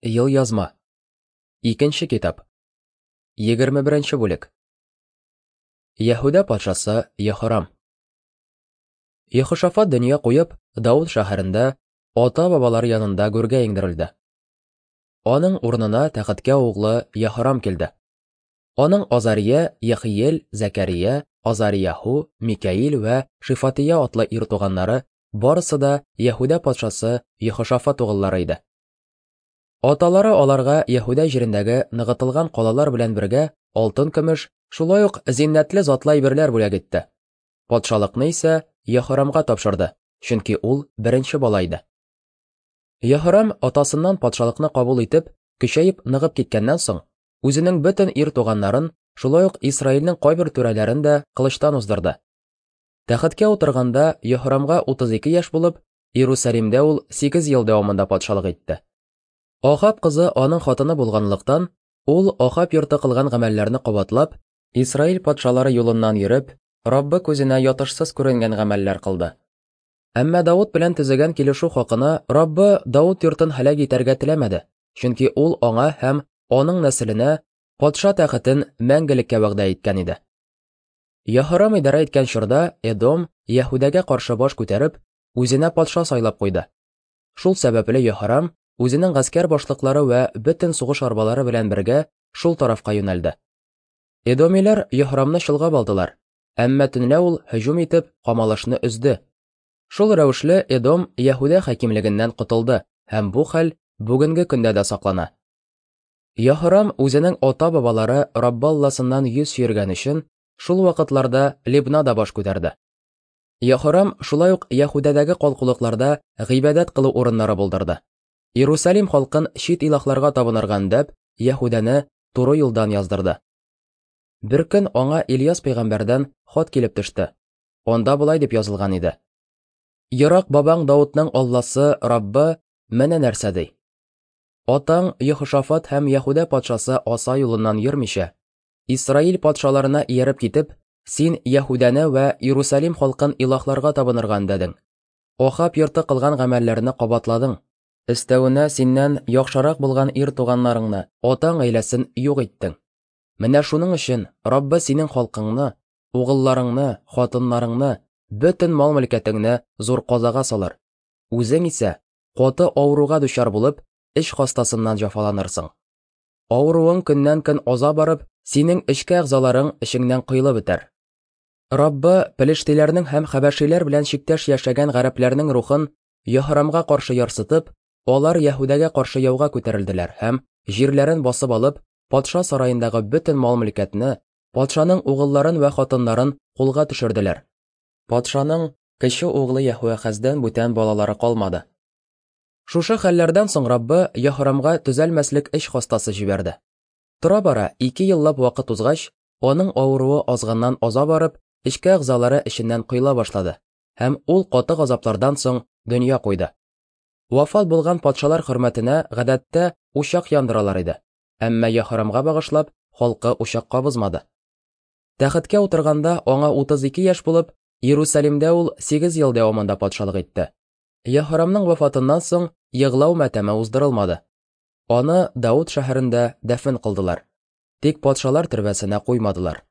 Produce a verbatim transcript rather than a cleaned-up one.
Елъязма. Икенче китап. Егерме беренче бүлек. Яһүдә патшасы Яһорам. Яһошафат дөнья куеп, Дауд шәһәрендә ата-бабалары янында гүргә иңдерелде. Аның урынына тәхеткә углы Яһорам килде. Аның Азария, Яхиел, Зәкәрия, Азарияһу, Микаил вә Шифатия атлы ир туганнары барысы да Яһүдә патшасы Яһошафат угыллары иде. Аталары аларга Яһүдә җирендәге ныгытылган калалар белән бергә алтын-көмеш, шулай ук зиннәтле затлы әйберләр бүләк итте. Патшалыкны исә Яһорамга тапшырды, чөнки ул беренче бала иде. Яһорам атасыннан патшалыкны кабул итеп, көчәеп ныгып киткәннән соң, үзенең бөтен ир туганнарын, шулай ук Исраилнең кайбер түрәләрен дә кылычтан уздырды. Тәхеткә утырганда Яһорамга утыз ике яшь булып, Иерусалимдә ул сигез ел дәвамында патшалык итте. Ахаб кызы аның хатыны булганлыктан, ул Ахаб йорты кылган гамәлләрне кабатлап, Исраил патшалары юлыннан йөреп, Раббы күзенә ятышсыз күренгән гамәлләр кылды. Әмма Дауд белән төзегән килешү хакына Раббы Дауд йортын һәлак итәргә теләмәде, чөнки ул аңа һәм аның нәселенә патша тәхетен мәңгелеккә вәгъдә иткән иде. Яһорам идарә иткән чорда Эдом Яһүдәгә каршы баш күтәреп, үзенә патша сайлап куйды. Шул сәбәпле Яһорам үзенең гаскәр башлыклары вә бөтен сугыш арбалары белән бергә шул тарафка юнәлде. Эдомиләр Яһорамны чолгап алдылар, әмма төнлә ул һөҗүм итеп камалышны өзде. Шул рәвешле Эдом Яһүдә хакимлегеннән котылды һәм бу хәл бүгенге көндә дә саклана. Яһорам үзенең ата-бабалары Раббы Алласыннан йөз чөергән өчен шул вакытларда Либнада баш күтәрде. Яһорам шулай ук Яһүдәдәге калкулыкларда гыйбадәт кылу урыннары булдырды. Иерусалим халкын чит илаһларга табынырга өндәп, Яһүдәне туры юлдан яздырды. Бер көн аңа Ильяс пәйгамбәрдән хат килеп төште. Анда болай дип язылган иде: Ерак бабаң Даудның Алласы Раббы менә нәрсә ди: Атаң Яһошафат һәм Яһүдә патшасы Аса юлыннан йөрмичә, Исраил патшаларына ияреп китеп, син Яһүдәне вә Иерусалим халкын илаһларга табынырга өндәдең. Ахаб йорты кылган гамәлләрне кабатладың. Өстәвенә синнән яхшырак булган ир туганнарыңны, атаң гаиләсен юк иттең. Менә шуның өчен Раббы синең халкыңны, угылларыңны, хатыннарыңны, бөтен мал-мөлкәтеңне зур казага салыр. Үзең исә каты авыруга дучар булып, эч хастасыннан җафаланырсың. Авыруың көннән-көн аза барып, синең эчке әгъзаларың эчеңнән коелып бетәр. Раббы пелештиләрнең һәм хәбәшиләр белән чиктәш яшәгән гарәпләрнең рухын Яһорамга каршы ярсытып, алар Яһүдәгә каршы яуга күтәрелделәр һәм җирләрен басып алып, патша сараендагы бөтен мал-мөлкәтне, патшаның угылларын вә хатыннарын кулга төшерделәр. Патшаның кече углы Яһүәхәздән бүтән балалары калмады. Шушы хәлләрдән соң Раббы Яһорамга төзәлмәслек эч хастасы җибәрде. Тора-бара ике еллап вакыт узгач, аның авыруы азганнан аза барып, эчке әгъзалары эченнән коела башлады һәм ул каты газаплардан соң дөнья куйды. Вафат булган патшалар хөрмәтенә гадәттә учак яндыралар иде, әмма Яһорамга багышлап халкы учак кабызмады. Тәхеткә утырганда аңа утыз ике яшь булып, Иерусалимдә ул сигез ел дәвамында патшалык итте. Яһорамның вафатыннан соң егълау матәме уздырылмады. Аны Дауд шәһәрендә дәфен кылдылар. Тик патшалар төрбәсенә куймадылар.